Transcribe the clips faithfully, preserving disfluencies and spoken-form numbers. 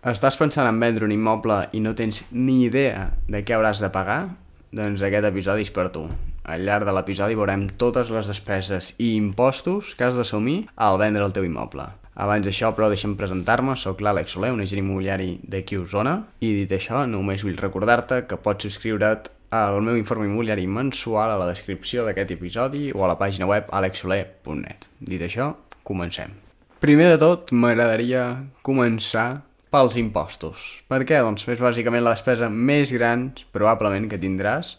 Estàs pensant en vendre un immoble i no tens ni idea de què hauràs de pagar? Doncs aquest episodi és per tu. Al llarg de l'episodi veurem totes les despeses i impostos que has d'assumir al vendre el teu immoble. Abans d'això, però, deixa'm presentar-me. Soc l'Àlex Soler, un agent immobiliari d'aquí a Osona. I dit això, només vull recordar-te que pots subscriure't al meu informe immobiliari mensual a la descripció d'aquest episodi o a la pàgina web alex soler punt net. Dit això, comencem. Primer de tot, m'agradaria començar pels impostos. Per què? Doncs és bàsicament la despesa més gran, probablement, que tindràs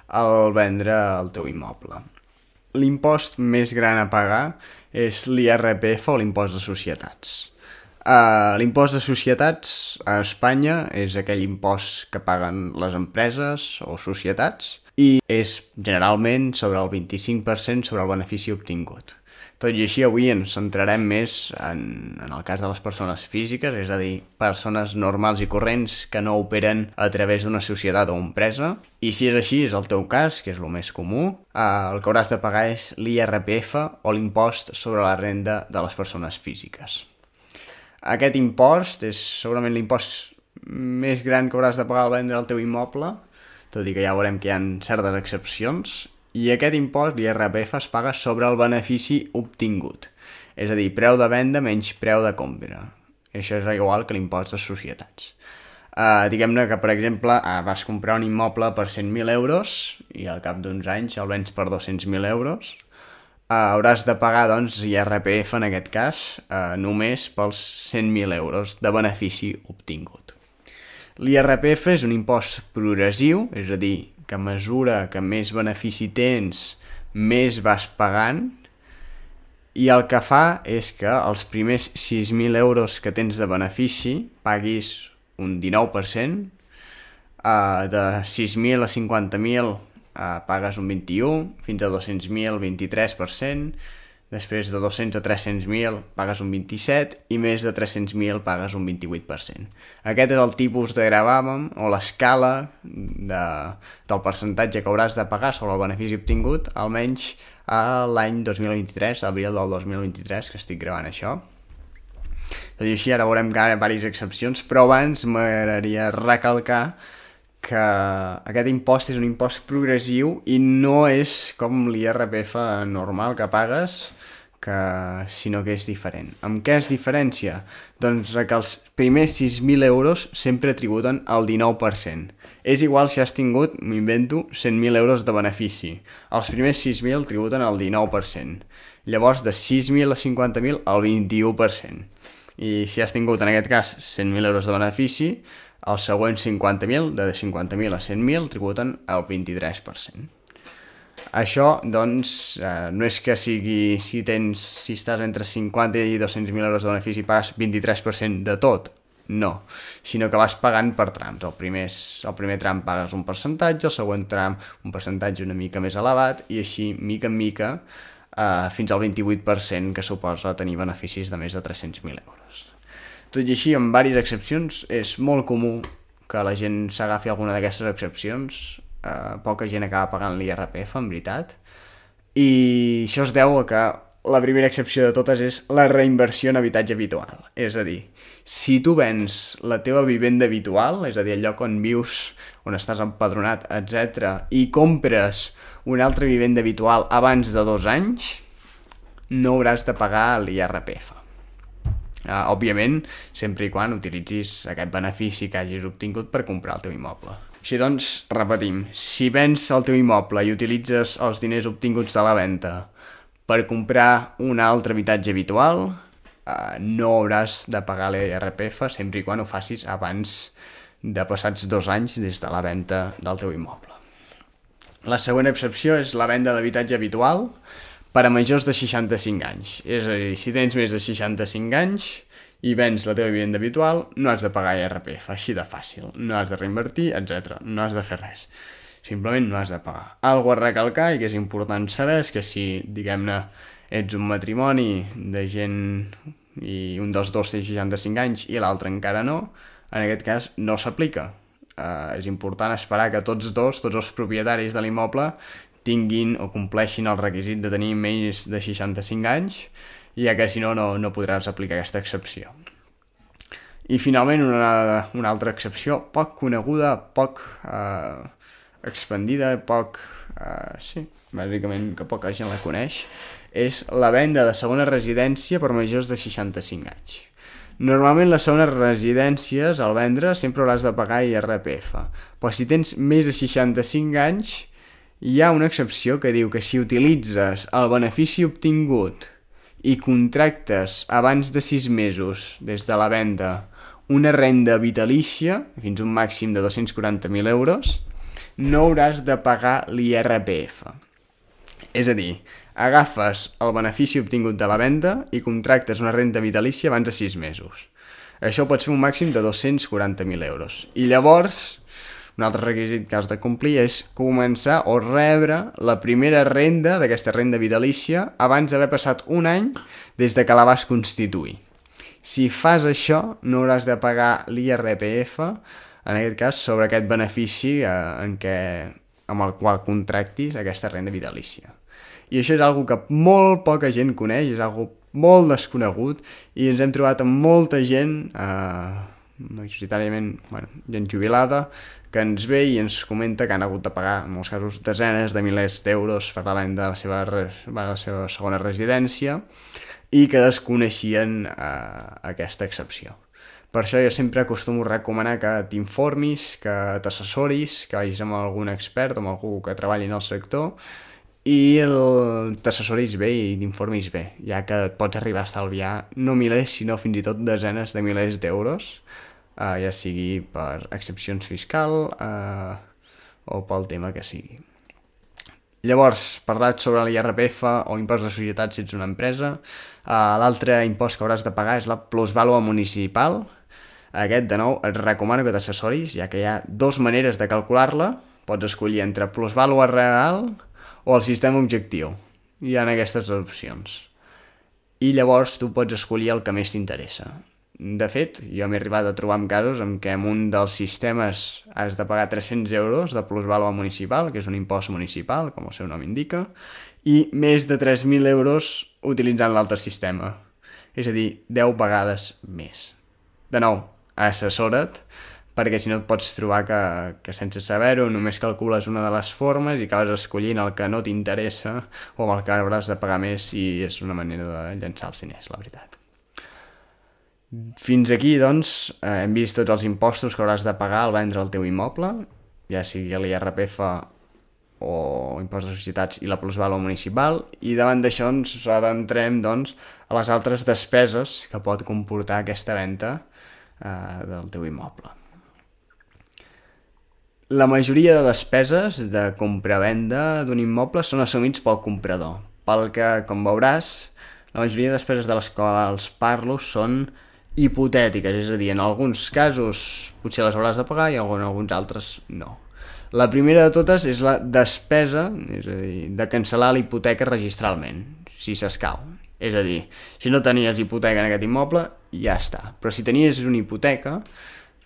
al vendre el teu immoble. L'impost més gran a pagar és l'I R P F o l'impost de societats. Uh, l'impost de societats a Espanya és aquell impost que paguen les empreses o societats i és generalment sobre el vint-i-cinc per cent sobre el benefici obtingut. Tot i així, avui ens centrarem més en, en el cas de les persones físiques, és a dir, persones normals i corrents que no operen a través d'una societat o empresa. I si és així, és el teu cas, que és el més comú, eh, el que hauràs de pagar és l'I R P F o l'impost sobre la renda de les persones físiques. Aquest impost és segurament l'impost més gran que hauràs de pagar al vendre el teu immoble, tot i que ja veurem que hi ha certes excepcions. I aquest impost, l'I R P F, es paga sobre el benefici obtingut. És a dir, preu de venda menys preu de compra. Això és igual que l'impost de societats. Uh, diguem-ne que, per exemple, uh, vas comprar un immoble per cent mil euros i al cap d'uns anys el vens per dos-cents mil euros. Uh, hauràs de pagar, doncs, I R P F, en aquest cas, uh, només pels cent mil euros de benefici obtingut. L'I R P F és un impost progressiu, és a dir, que a mesura que més benefici tens, més vas pagant, i el que fa és que els primers sis mil euros que tens de benefici paguis un dinou per cent, uh, de sis mil a cinquanta mil uh, pagues un vint-i-u, fins a dos-cents mil, vint-i-tres per cent, després de dos-cents a tres-cents mil pagues un vint-i-set i més de tres-cents mil pagues un vint-i-vuit per cent. Aquest és el tipus de gravamen o l'escala de, del percentatge que hauràs de pagar sobre el benefici obtingut, almenys a l'any dos mil vint-i-tres, abril del dos mil vint-i-tres, que estic gravant això. Tot i així, ara veurem que hi ha diverses excepcions, però abans m'agradaria recalcar que aquest impost és un impost progressiu i no és com l'I R P F normal que pagues, que, sinó que és diferent. Amb què es diferencia? Doncs que els primers sis mil euros sempre tributen el dinou per cent. És igual si has tingut, m'invento, cent mil euros de benefici. Els primers sis mil tributen el dinou per cent. Llavors, de sis mil a cinquanta mil, el vint-i-u per cent. I si has tingut, en aquest cas, cent mil euros de benefici, els següents cinquanta mil, de cinquanta mil a cent mil, tributen el vint-i-tres per cent. Això, doncs, eh, no és que sigui, si tens, si estàs entre cinquanta i dos-cents mil euros de benefici, pagues vint-i-tres per cent de tot. No, sinó que vas pagant per trams. El primer, el primer tram pagues un percentatge, el següent tram un percentatge una mica més elevat, i així, mica en mica, eh, fins al vint-i-vuit per cent que suposa tenir beneficis de més de tres-cents mil euros. Tot i així, amb diverses excepcions, és molt comú que la gent s'agafi alguna d'aquestes excepcions. Uh, poca gent acaba pagant l'I R P F, en veritat. I això es deu a que la primera excepció de totes és la reinversió en habitatge habitual. És a dir, si tu vens la teva vivenda habitual, és a dir, el lloc on vius, on estàs empadronat, etcètera, i compres una altra vivenda habitual abans de dos anys, no hauràs de pagar l'I R P F. Uh, òbviament, sempre i quan utilitzis aquest benefici que hagis obtingut per comprar el teu immoble. Així doncs, repetim, si vens el teu immoble i utilitzes els diners obtinguts de la venda per comprar un altre habitatge habitual, uh, no hauràs de pagar l'I R P F sempre i quan ho facis abans de passats dos anys des de la venda del teu immoble. La següent excepció és la venda d'habitatge habitual per a majors de seixanta-cinc anys. És a dir, si tens més de seixanta-cinc anys i vens la teva vivenda habitual, no has de pagar I R P F, així de fàcil. No has de reinvertir, etcètera. No has de fer res. Simplement no has de pagar. Algo a recalcar i que és important saber és que si, diguem-ne, ets un matrimoni de gent i un dels dos té seixanta-cinc anys i l'altre encara no, en aquest cas no s'aplica. Uh, és important esperar que tots dos, tots els propietaris de l'immoble, tinguin o compleixin el requisit de tenir menys de seixanta-cinc anys, ja que si no, no, no podràs aplicar aquesta excepció. I finalment una, una altra excepció poc coneguda, poc eh, expandida, poc... Eh, sí, bàsicament que poca gent la coneix, és la venda de segona residència per majors de seixanta-cinc anys. Normalment les segones residències al vendre sempre hauràs de pagar I R P F, però si tens més de seixanta-cinc anys hi ha una excepció que diu que si utilitzes el benefici obtingut i contractes abans de sis mesos des de la venda una renda vitalícia, fins a un màxim de dos-cents quaranta mil euros, no hauràs de pagar l'I R P F. És a dir, agafes el benefici obtingut de la venda i contractes una renda vitalícia abans de sis mesos. Això pot ser un màxim de dos-cents quaranta mil euros. I llavors, un altre requisit que has de complir és començar o rebre la primera renda d'aquesta renda vitalícia abans d'haver passat un any des de que la vas constituir. Si fas això, no hauràs de pagar l'I R P F, en aquest cas, sobre aquest benefici eh, en què, amb el qual contractis aquesta renda vitalícia. I això és algo que molt poca gent coneix, és algo molt desconegut, i ens hem trobat amb molta gent, eh, majoritàriament, bueno, gent jubilada, que ens ve i ens comenta que han hagut de pagar, en molts casos, desenes de milers d'euros per la venda de la seva, la seva segona residència, i que desconeixien eh, aquesta excepció. Per això jo sempre acostumo a recomanar que t'informis, que t'assessoris, que vagis amb algun expert, amb algú que treballi en el sector, i t'assessoris bé i t'informis bé, ja que et pots arribar a estalviar no milers, sinó fins i tot desenes de milers d'euros, eh, ja sigui per excepcions fiscal eh, o pel tema que sigui. Llavors, parlat sobre l'I R P F o impost de societats si ets una empresa, uh, l'altre impost que hauràs de pagar és la plusvàlua municipal. Aquest, de nou, et recomano que t'assessoris, ja que hi ha dues maneres de calcular-la. Pots escollir entre plusvàlua real o el sistema objectiu. Hi ha aquestes opcions. I llavors tu pots escollir el que més t'interessa. De fet, jo m'he arribat a trobar en casos en què en un dels sistemes has de pagar tres-cents euros de plusvàlua municipal, que és un impost municipal, com el seu nom indica, i més de tres mil euros utilitzant l'altre sistema. És a dir, deu vegades més. De nou, assessora't, perquè si no et pots trobar que, que sense saber-ho només calcules una de les formes i acabes escollint el que no t'interessa o amb el que hauràs de pagar més, i és una manera de llançar els diners, la veritat. Fins aquí, doncs, eh, hem vist tots els impostos que hauràs de pagar al vendre el teu immoble, ja sigui l'I R P F o impost de societats i la plusvàlua municipal, i davant d'això ens adentrem, doncs, a les altres despeses que pot comportar aquesta venda eh, del teu immoble. La majoria de despeses de compra-venda d'un immoble són assumits pel comprador, pel que, com veuràs, la majoria de despeses de les quals parlo són hipotètiques, és a dir, en alguns casos potser les hauràs de pagar i en alguns altres no. La primera de totes és la despesa, és a dir, de cancel·lar la hipoteca registralment, si s'escau. És a dir, si no tenies hipoteca en aquest immoble, ja està. Però si tenies una hipoteca,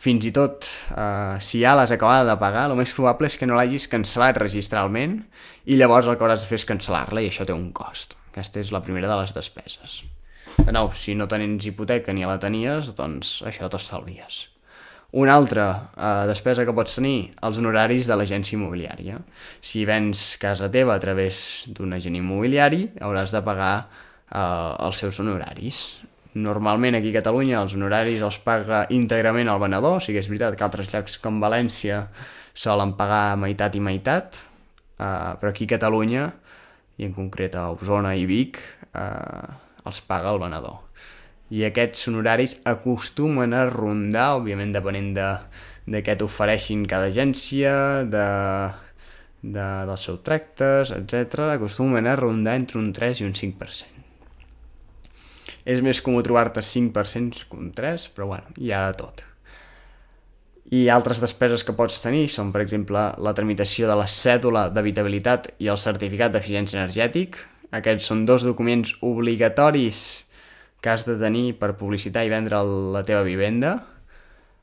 fins i tot eh, si ja l'has acabada de pagar, el més probable és que no l'hagis cancel·lat registralment i llavors el que hauràs de fer és cancel·lar-la i això té un cost. Aquesta és la primera de les despeses. De nou, si no tens hipoteca ni la tenies, doncs això t'estalvies. Una altra eh, despesa que pots tenir, els honoraris de l'agència immobiliària. Si vens casa teva a través d'un agent immobiliari, hauràs de pagar eh, els seus honoraris. Normalment aquí a Catalunya els honoraris els paga íntegrament el venedor, o sigui, és veritat que altres llocs com València solen pagar meitat i meitat, eh, però aquí a Catalunya, i en concret a Osona i Vic, eh, els paga el venedor. I aquests honoraris acostumen a rondar, òbviament depenent de, de què t'ofereixin cada agència, de, de, dels seus tractes, etcètera, acostumen a rondar entre un tres i un cinc per cent. És més comú trobar-te cinc per cent que un tres, però bueno, hi ha de tot. I altres despeses que pots tenir són, per exemple, la tramitació de la cèdula d'habitabilitat i el certificat d'eficiència energètic. Aquests són dos documents obligatoris que has de tenir per publicitar i vendre la teva vivenda.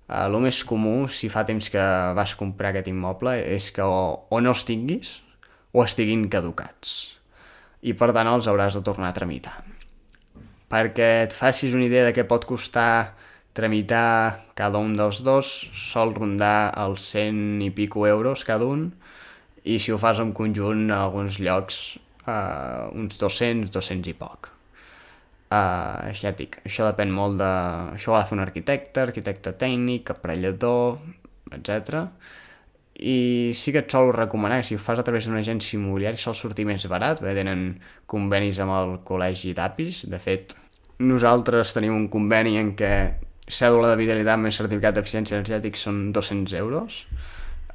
Eh, el més comú, si fa temps que vas comprar aquest immoble, és que o, o no els tinguis o estiguin caducats. I per tant els hauràs de tornar a tramitar. Perquè et facis una idea de què pot costar tramitar cada un dels dos sol rondar els cent i pico euros cada un, i si ho fas en conjunt en alguns llocs uh, uns dos-cents, dos-cents i poc. Uh, ja et dic, això depèn molt de... Això ho ha de fer un arquitecte, arquitecte tècnic, aparellador, etcètera. I sí que et sol recomanar que si ho fas a través d'una agència immobiliària sol sortir més barat, perquè tenen convenis amb el col·legi d'Apis. De fet, nosaltres tenim un conveni en què cèdula d'habitabilitat més certificat d'eficiència energètica són dos-cents euros,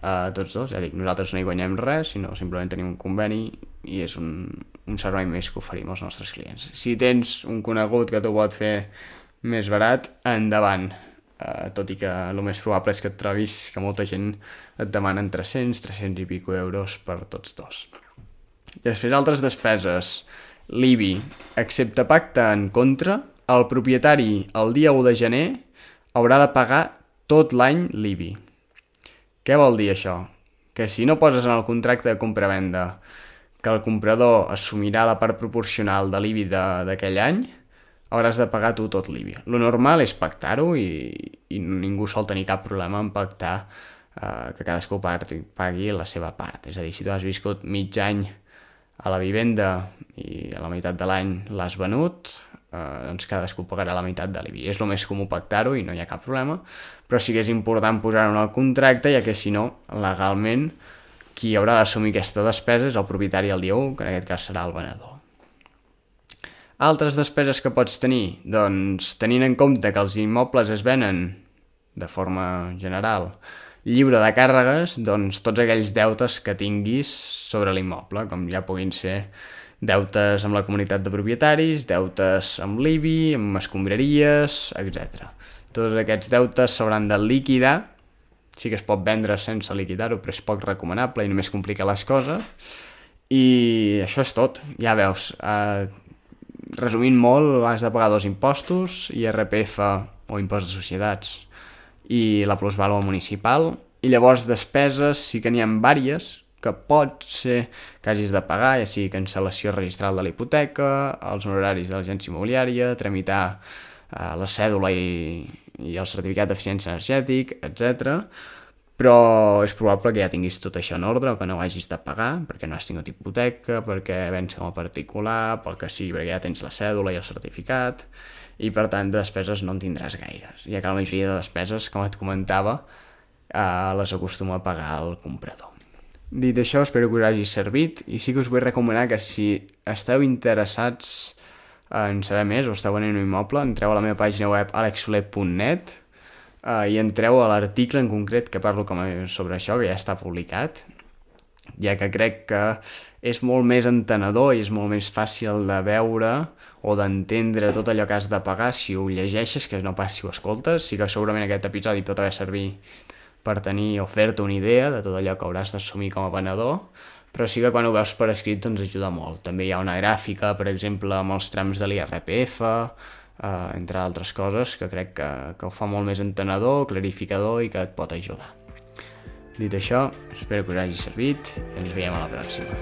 uh, tots dos. Ja dic, nosaltres no hi guanyem res, sinó simplement tenim un conveni i és un, un servei més que oferim als nostres clients. Si tens un conegut que t'ho pot fer més barat, endavant. Uh, tot i que el més probable és que et trobis que molta gent et demanen tres-cents, tres-cents i pico euros per tots dos. I després altres despeses. L'I B I, excepte pacte en contra, el propietari el dia u de gener haurà de pagar tot l'any l'I B I. Què vol dir això? Que si no poses en el contracte de compra-venda que el comprador assumirà la part proporcional de l'I B I d'aquell any, hauràs de pagar tu tot l'I B I. Lo normal és pactar-ho i, i ningú sol tenir cap problema en pactar eh, que cadascú pagui la seva part. És a dir, si tu has viscut mig any a la vivenda i a la meitat de l'any l'has venut, eh, doncs cadascú pagarà la meitat de l'I B I. És el més comú pactar-ho i no hi ha cap problema, però sí que és important posar-ho en el contracte, ja que si no, legalment, qui haurà d'assumir aquesta despesa és el propietari el dia u, que en aquest cas serà el venedor. Altres despeses que pots tenir? Doncs tenint en compte que els immobles es venen de forma general lliure de càrregues, doncs tots aquells deutes que tinguis sobre l'immoble, com ja puguin ser deutes amb la comunitat de propietaris, deutes amb l'I B I, amb escombraries, etcètera. Tots aquests deutes s'hauran de liquidar. Sí que es pot vendre sense liquidar-ho, però és poc recomanable i només complica les coses. I això és tot. Ja veus, eh, resumint molt, has de pagar dos impostos, I R P F o impost de societats i la plusvàlua municipal, i llavors despeses sí que n'hi ha diverses que pot ser que hagis de pagar, ja sigui cancel·lació registral de la hipoteca, els honoraris de l'agència immobiliària, tramitar eh, la cèdula i, i el certificat d'eficiència energètica, etcètera. Però és probable que ja tinguis tot això en ordre o que no ho hagis de pagar perquè no has tingut hipoteca, perquè vens com a particular, pel que sigui, perquè ja tens la cèdula i el certificat, i per tant de despeses no en tindràs gaires, ja que la majoria de despeses, com et comentava, eh, les acostuma a pagar el comprador. Dit això, espero que us hagi servit i sí que us vull recomanar que si esteu interessats en saber més o esteu venent un immoble, entreu a la meva pàgina web alex soler punt net Uh, i entreu a l'article en concret que parlo com a, sobre això, que ja està publicat, ja que crec que és molt més entenedor i és molt més fàcil de veure o d'entendre tot allò que has de pagar si ho llegeixes que no pas si ho escoltes. Sí que segurament aquest episodi pot haver servir per tenir o fer-te una idea de tot allò que hauràs d'assumir com a venedor, però sí que quan ho veus per escrit doncs ajuda molt. També hi ha una gràfica, per exemple, amb els trams de l'I R P F, Uh, entre altres coses que crec que, que ho fa molt més entenedor, clarificador i que et pot ajudar. Dit això, espero que us hagi servit i ens veiem a la pròxima.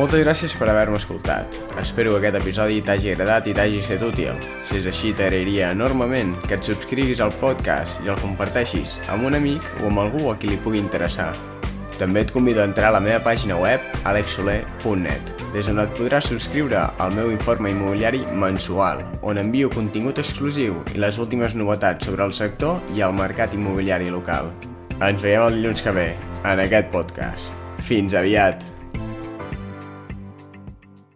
Moltes gràcies per haver-me escoltat. Espero que aquest episodi t'hagi agradat i t'hagi estat útil. Si és així, t'agrairia enormement que et subscriguis al podcast i el comparteixis amb un amic o amb algú a qui li pugui interessar. També et convido a entrar a la meva pàgina web alex soler punt net, des on et podràs subscriure al meu informe immobiliari mensual, on envio contingut exclusiu i les últimes novetats sobre el sector i el mercat immobiliari local. Ens veiem el dilluns que ve, en aquest podcast. Fins aviat!